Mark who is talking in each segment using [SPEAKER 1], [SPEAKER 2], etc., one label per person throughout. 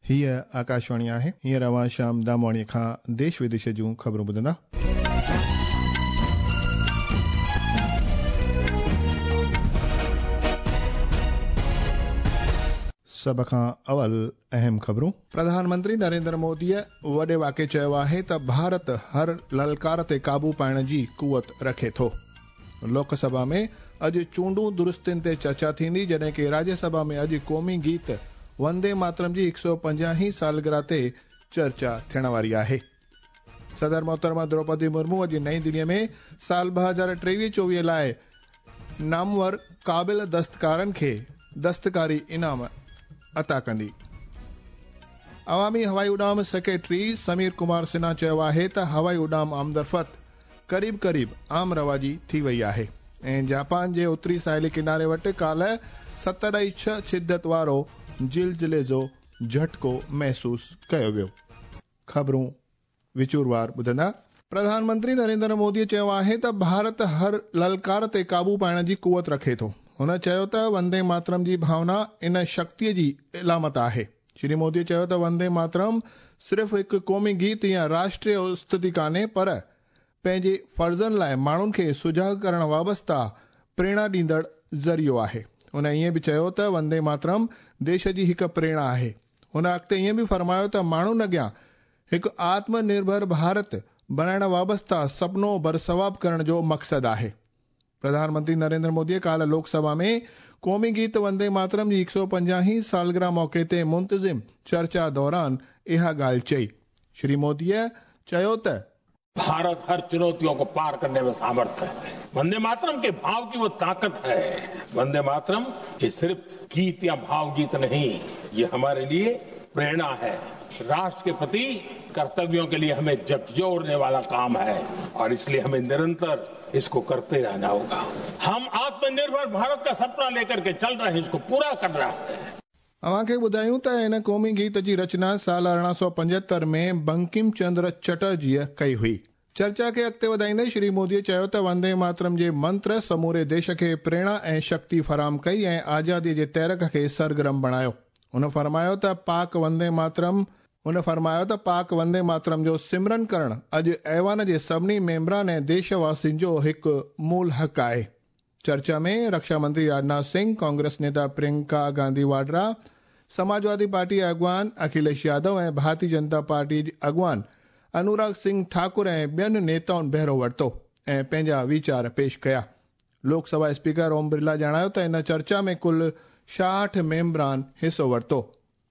[SPEAKER 1] هيء آڪاشواڻي آهي. هينئر اوهان شيام دامواڻيء کان ديش وديش جون خبرون ٻڌندا. سڀ کان اول اهم خبرون. پرڌان منتري نريندر موديء وڏي واڪي چيو آهي ته ڀارت هر للڪار تي قابو پائڻ جي قوت رکي ٿو. لوڪ سڀا ۾ اڄ چونڊون درستين تي چرچا ٿيندي جڏهن ڪي راجيه سڀا ۾ اڄ قومي گيت وندي ماترم جي 150 هين سالگرهه تي چرچا ٿيڻ واري آهي. صدر محترمه دروپدي مرمو اڄ نئين دليء ۾ سال 2023-24 لاء نامور قابل دستڪارن کي دستڪاري انعام عطا ڪندي. عوامي هوائي اڏام سيڪريٽري سمير ڪمار سنها چيو آهي ته هوائي اڏام آمدرفت قريب قريب عام رواجي ٿي وئي آهي ۽ جاپان جي اتري ساحلي ڪناري وٽ ڪالهه 7.6 شدت وارو زلزلي جو جهٽڪو محسوس ڪيو ويو. خبرون وچوروار ٻڌندا. پرڌان منتري نريندر مودي چيو آهي ته ڀارت هر للڪار تي قابو پائڻ جي قوت رکي ٿو. هن چيو ته وندي ماترم جي ڀاونا ان شڪتيء جي علامت آهي. شري مودي چيو ته وندي ماترم صرف هڪ قومي گيت يا راشٽريه استتي ڪانهي پر پنهنجي فرضن لاء ماڻهن کي سجاڳ ڪرڻ وابسته پريرڻا ڏيندڙ ذريعو آهي. هن ائين به چيو ته وندي ماترم ديش جي هڪ پريرڻا آهي. هن اڳتي ائين به فرمايو ته ماڻهن اڳيان هڪ آتم نرڀر ڀارت بڻائڻ وابسته سپنو برثواب ڪرڻ جو مقصد آهي. پرڌان منتري نريندر موديء ڪالهه لوڪ سڀا ۾ قومي گيت وندي ماترم جي 150 هين سالگرهه موقعي تي منتظم چرچا دوران اها ڳالهه چئي. شري موديء چيو ته.
[SPEAKER 2] भारत हर चुनौतियों को पार करने में सामर्थ्य है। वंदे मातरम के भाव की वो ताकत है। वंदे मातरम ये सिर्फ गीत या भावगीत नहीं, ये हमारे लिए प्रेरणा है। राष्ट्र के प्रति कर्तव्यों के लिए हमें झकझोरने वाला काम है और इसलिए हमें निरंतर इसको करते रहना होगा। हम आत्मनिर्भर भारत का सपना लेकर के चल रहे हैं, इसको पूरा कर रहे हैं।
[SPEAKER 1] اوهان کي ٻڌايون ته هن قومي گيت جي رچنا سال 1875 ۾ بنڪم چندر چٽرجيء ڪئي هئي. چرچا کي اڳتي وڌائيندي شري موديء چيو ته وندي ماترم جي منتر سموري ديش کي پريرڻا ۽ شڪتي فراهم ڪئي ۽ آزاديء جي تحرڪ کي سرگرم بڻايو. هن فرمايو ته پاڪ وندي ماترم هن فرمايو ته پاڪ وندي ماترم جو سمرن ڪرڻ اڄ ايوان جي سڀني ميمبران ۽ ديش واسين جو هڪ مول حق آهي. چرچا ۾ رڪشا منتري راجناٿ سنگهه، ڪانگريس نيتا پرينڪا گانڌي واڊرا، سماجوادي پارٽي جي اڳواڻ اکليش يادو ۽ ڀارتي جنتا پارٽي جي اڳواڻ انوراگ سنگهه ٺاڪر ۽ ٻين نيتائن بهرو ورتو ۽ پنهنجا ويچار پيش ڪيا. لوڪ سڀا اسپيڪر اوم برلا ڄاڻايو ته ان چرچا ۾ ڪل 66 ميمبران حصو ورتو.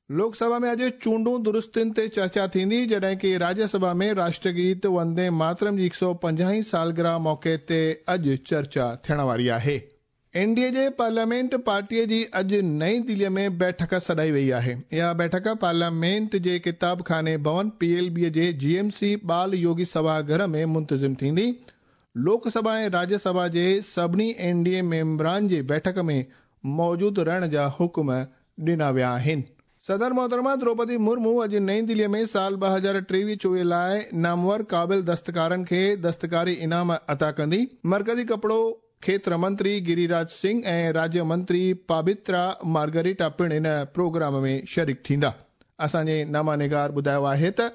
[SPEAKER 1] لوڪ سڀا ۾ اڄ چونڊون درستين تي چرچا ٿيندي، جڏهن ڪي راجيه سڀا ۾ راشٽر گيت وندي ماترم جي 150 هين سالگرهه موقعي تي اڄ چرچا ٿيڻ واري آهي. اين ڊي اي جي پارليامينٽ پارٽيء جي اڄ نئين دليء ۾ بيٺڪ سڏائي وئي آهي. اها بيٺڪ پارليامينٽ جي ڪتاب خاني ڀون، پي ايل بي، جي جي ايم سي ٻال يوگي سڀا گهر ۾ منتظم ٿيندي. لوڪ سڀا ۽ راجيه سڀا جي سڀني اين ڊي اي ميمبران جي بيٺڪ ۾ موجود رهڻ جا حڪم ڏنا ويا آهن. صدر محترمه دروپدي مرمو اڄ نئين دليء ۾ سال 2023-24 لاء نامور قابل دستڪارن کي دستڪاري انعام عطا ڪندي. مرڪزي ڪپڙو کيتر منتري گري راج سنگهه ۽ راجيه منتري پابترا مارگريٽا پڻ ان پروگرام ۾ شريڪ ٿيندا. اسان جي نامه نگار ٻڌايو آهي ته.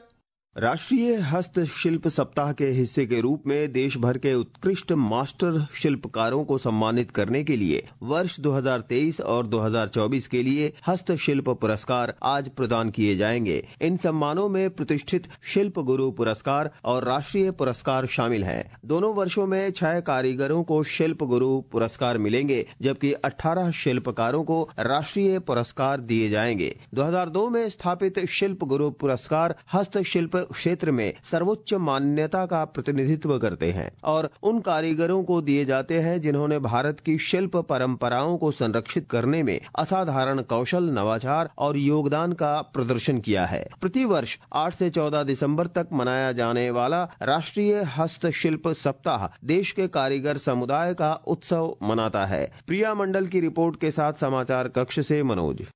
[SPEAKER 3] राष्ट्रीय हस्तशिल्प सप्ताह के हिस्से के रूप में देश भर के उत्कृष्ट मास्टर शिल्पकारों को सम्मानित करने के लिए वर्ष 2023 और 2024 के लिए हस्तशिल्प पुरस्कार आज प्रदान किए जाएंगे। इन सम्मानों में प्रतिष्ठित शिल्प गुरु पुरस्कार और राष्ट्रीय पुरस्कार शामिल हैं। दोनों वर्षों में 6 कारीगरों को शिल्प गुरु पुरस्कार मिलेंगे, जबकि 18 शिल्पकारों को राष्ट्रीय पुरस्कार दिए जाएंगे। 2002 में स्थापित शिल्प गुरु पुरस्कार हस्तशिल्प क्षेत्र में सर्वोच्च मान्यता का प्रतिनिधित्व करते हैं और उन कारीगरों को दिए जाते हैं जिन्होंने भारत की शिल्प परंपराओं को संरक्षित करने में असाधारण कौशल, नवाचार और योगदान का प्रदर्शन किया है। प्रतिवर्ष 8 से 14 दिसंबर तक मनाया जाने वाला राष्ट्रीय हस्तशिल्प सप्ताह देश के कारीगर समुदाय का उत्सव मनाता है। प्रिया मंडल की रिपोर्ट के साथ समाचार कक्ष से मनोज।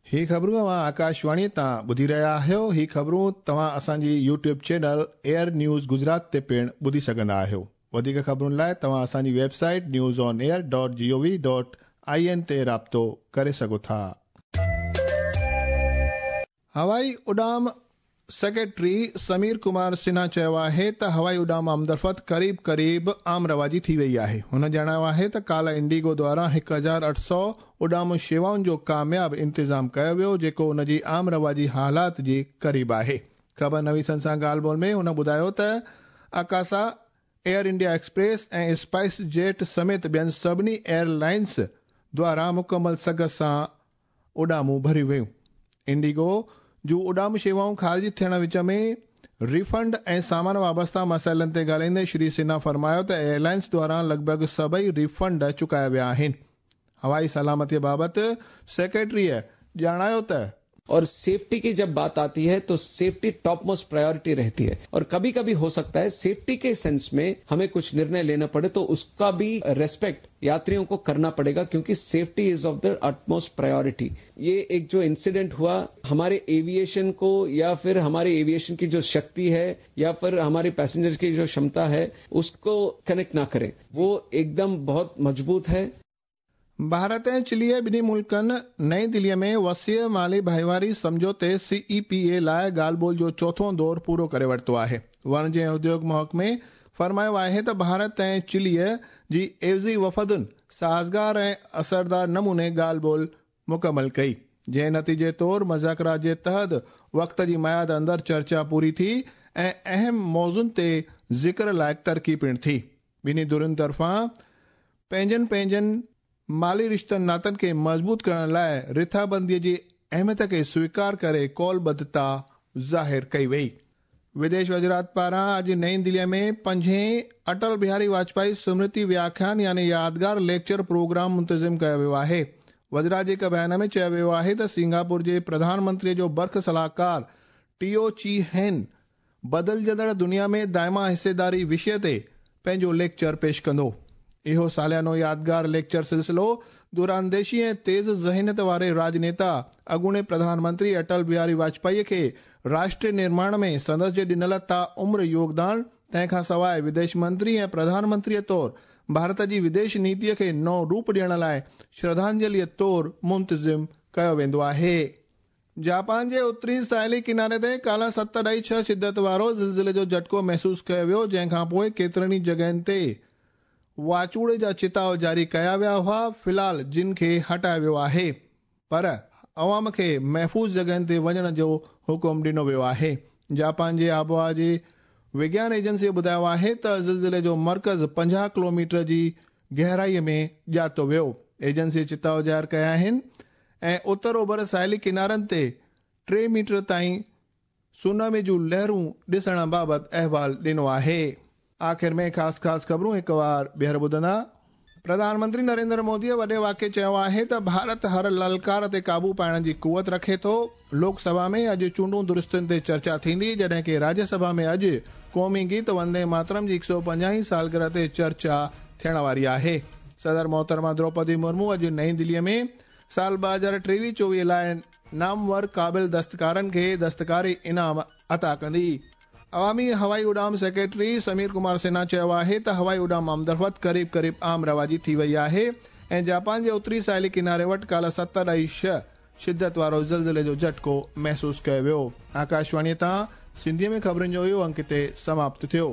[SPEAKER 1] هي خبرون اوهان آڪاشواڻي تان ٻڌي رهيا آهيو. هي خبرون توهان اسان جي YouTube channel air news Gujarat تي پڻ ٻڌي سگهندا آهيو. وڌيڪ خبرن لاء توهان اسان جي website news on air dot G O V dot I N تي رابطو ڪري سگهو ٿا. हवाई उॾाम सेक्रेटरी समीर कुमार सिन्हा चयो आहे त हवाई उॾाम आमदरफ़्त क़रीब क़रीब आम रवाजी थी वई आहे। हुन ॼाणायो आहे त काल्ह इंडिगो द्वारा 1800 उॾाम शेवाउनि जो कामयाब इंतज़ाम कयो वियो, जेको उन जी आम रवाजी हालात जे क़रीब आहे। ख़बर नवीसनि सां ॻाल्हि ॿोल में हुन ॿुधायो त Akasa, Air India Express ऐं स्पाइस जेट समेत ॿियनि सभिनी एयरलाइंस द्वारा मुकमल सघ सां उॾामूं भरियूं वयूं। इंडिगो जूं उॾाम शेवाऊं ख़ारिज थियण विच में रिफंड ऐं सामान वाबस्ता मसइलनि ते ॻाल्हाईंदे श्री सिन्हा फरमायो त एयरलाइंस द्वारा लॻभॻि सभई रिफंड चुकाया विया आहिनि। हवाई सलामतीअ बाबति सेक्रेटरीअ ॼाणायो त
[SPEAKER 4] और सेफ्टी की जब बात आती है तो सेफ्टी टॉप मोस्ट प्रायोरिटी रहती है और कभी कभी हो सकता है सेफ्टी के सेंस में हमें कुछ निर्णय लेना पड़े तो उसका भी रेस्पेक्ट यात्रियों को करना पड़ेगा, क्योंकि safety is of the utmost priority. ये एक जो इंसिडेंट हुआ हमारे एविएशन को या फिर हमारे एविएशन की जो शक्ति है या फिर हमारे पैसेंजर की जो क्षमता है उसको कनेक्ट ना करें, वो एकदम बहुत मजबूत है।
[SPEAKER 1] भारत ऐं चिलीअ ॿिन्ही मुल्कनि नई दिल्लीअ में वसीअ माली भाईवारी सम्झौते CEPA लाइ ॻाल्हि ॿोल जो चोथों दौर पूरो करे वरितो आहे। वणज ऐं उद्योग महकमे फरमायो आहे त भारत ऐं चिलीअ जी एवज़ी वफ़दुनि साज़गार ऐं असरदार नमूने ॻाल्हि ॿोल मुकमल कई, जंहिं नतीजे तौर मुज़ाकरा जे तहत वक़्त जी मयाद अंदरि चर्चा पूरी थी ऐं अहम मौज़ुनि ते ज़िक्र लाइक़ तरक़ी पिणु थी। ॿिन्ही धुरियुनि तरफ़ां पंहिंजनि पंहिंजनि माली रिश्तनि नातनि खे मज़बूत करण लाइ रिथाबंदीअ जी अहमियत खे स्वीकार करे कौलबद्धता ज़ाहिर कई वई। विदेश वज़ारत पारां अॼु नई दिल्लीअ में पंजें अटल बिहारी वाजपेयी स्मृति व्याख्यान यानी यादगार लेक्चर प्रोग्राम मुंतज़िम कयो वियो आहे। वज़ारत जे हिकु बयान में चयो वियो आहे त सिंगापुर जे प्रधानमंत्रीअ जो बर्ख सलाहकार टियो ची हेन बदिलजंदड़ दुनिया में दाइमा हिस्सेदारी विषय ते पंहिंजो लेक्चर पेश कंदो। इहो सालियानो यादगार लेक्चर सिलसिलो दूरांदेशी ऐं तेज़ ज़हनियत वारे राजनेता अॻूणे प्रधानमंत्री अटल बिहारी वाजपेयी खे राष्ट्र निर्माण में संदसि जे ॾिनल ता उम्र योगदान, तंहिंखां सवाइ विदेश मंत्री ऐं प्रधानमंत्रीअ तौर भारत जी विदेश नीतीअ खे नओं रूप ॾियण लाइ श्रद्धांजलिअ तौर मुंतज़िम कयो वेंदो आहे। जापान जे उत्तरी साहिली किनारे ते काल्ह 7.6 शिदत वारो ज़िलज़िले जो झटको महसूसु कयो वियो, जंहिंखां पोइ केतिरनि ई जॻहियुनि ते वाचूड़े जा चिताव जारी कया विया हुआ, फ़िलहाल जिन खे हटायो वियो आहे, पर अवाम खे महफ़ूज़ जॻहियुनि ते वञण जो हुकुम ॾिनो वियो आहे। जापान जे आबहावा जे विज्ञान एजेंसी ॿुधायो आहे त ज़िलज़िले जो मर्कज़ 50 किलोमीटर जी गहराईअ में ॼातो वियो। एजेंसी चिताव ज़ाहिर कया आहिनि ऐं उत्तर ओभर साहिली किनारनि ते 3 मीटर ताईं सुनामी जूं लहरूं ॾिसण बाबति अहवाल ॾिनो आहे। आख़िर में ख़ासि ख़ासि ख़बरूं हिकु वार ॿीहर ॿुधंदा। प्रधानमंत्री नरेंद्र मोदीअ वॾे वाक़े चयो आहे त भारत हर ललकार ते क़ाबू पाइण जी कुवत रखे थो। लोकसभा में अॼु चूंडूं दुरुस्तियुनि ते चर्चा थींदी, जॾहिं की राज्यसभा में अॼु क़ौमी गीत वंदे मातरम जी 150 सालगिरह ते चर्चा थियण वारी आहे। सदर मोहतरमा द्रौपदी मुर्मू अॼु नई दिल्लीअ में साल 2023-24 लाइ नामवर क़ाबिल दस्तकारनि खे दस्तकारी इनाम अता कंदी। अवामी हवाई उॾाम सेक्रेटरी समीर कुमार सिन्हा चयो आहे त हवाई उॾाम आमदरफ़्त क़रीब क़रीब आम रवाजी थी वई आहे ऐं जापान जे उत्तरी साहिली किनारे वटि काल्ह 7.6 शिदत वारो ज़िलज़िले जो झटको महसूसु कयो वियो। आकाशवाणीअ तां सिंधीअ में ख़बरुनि जो इहो अंक हिते समाप्त थियो।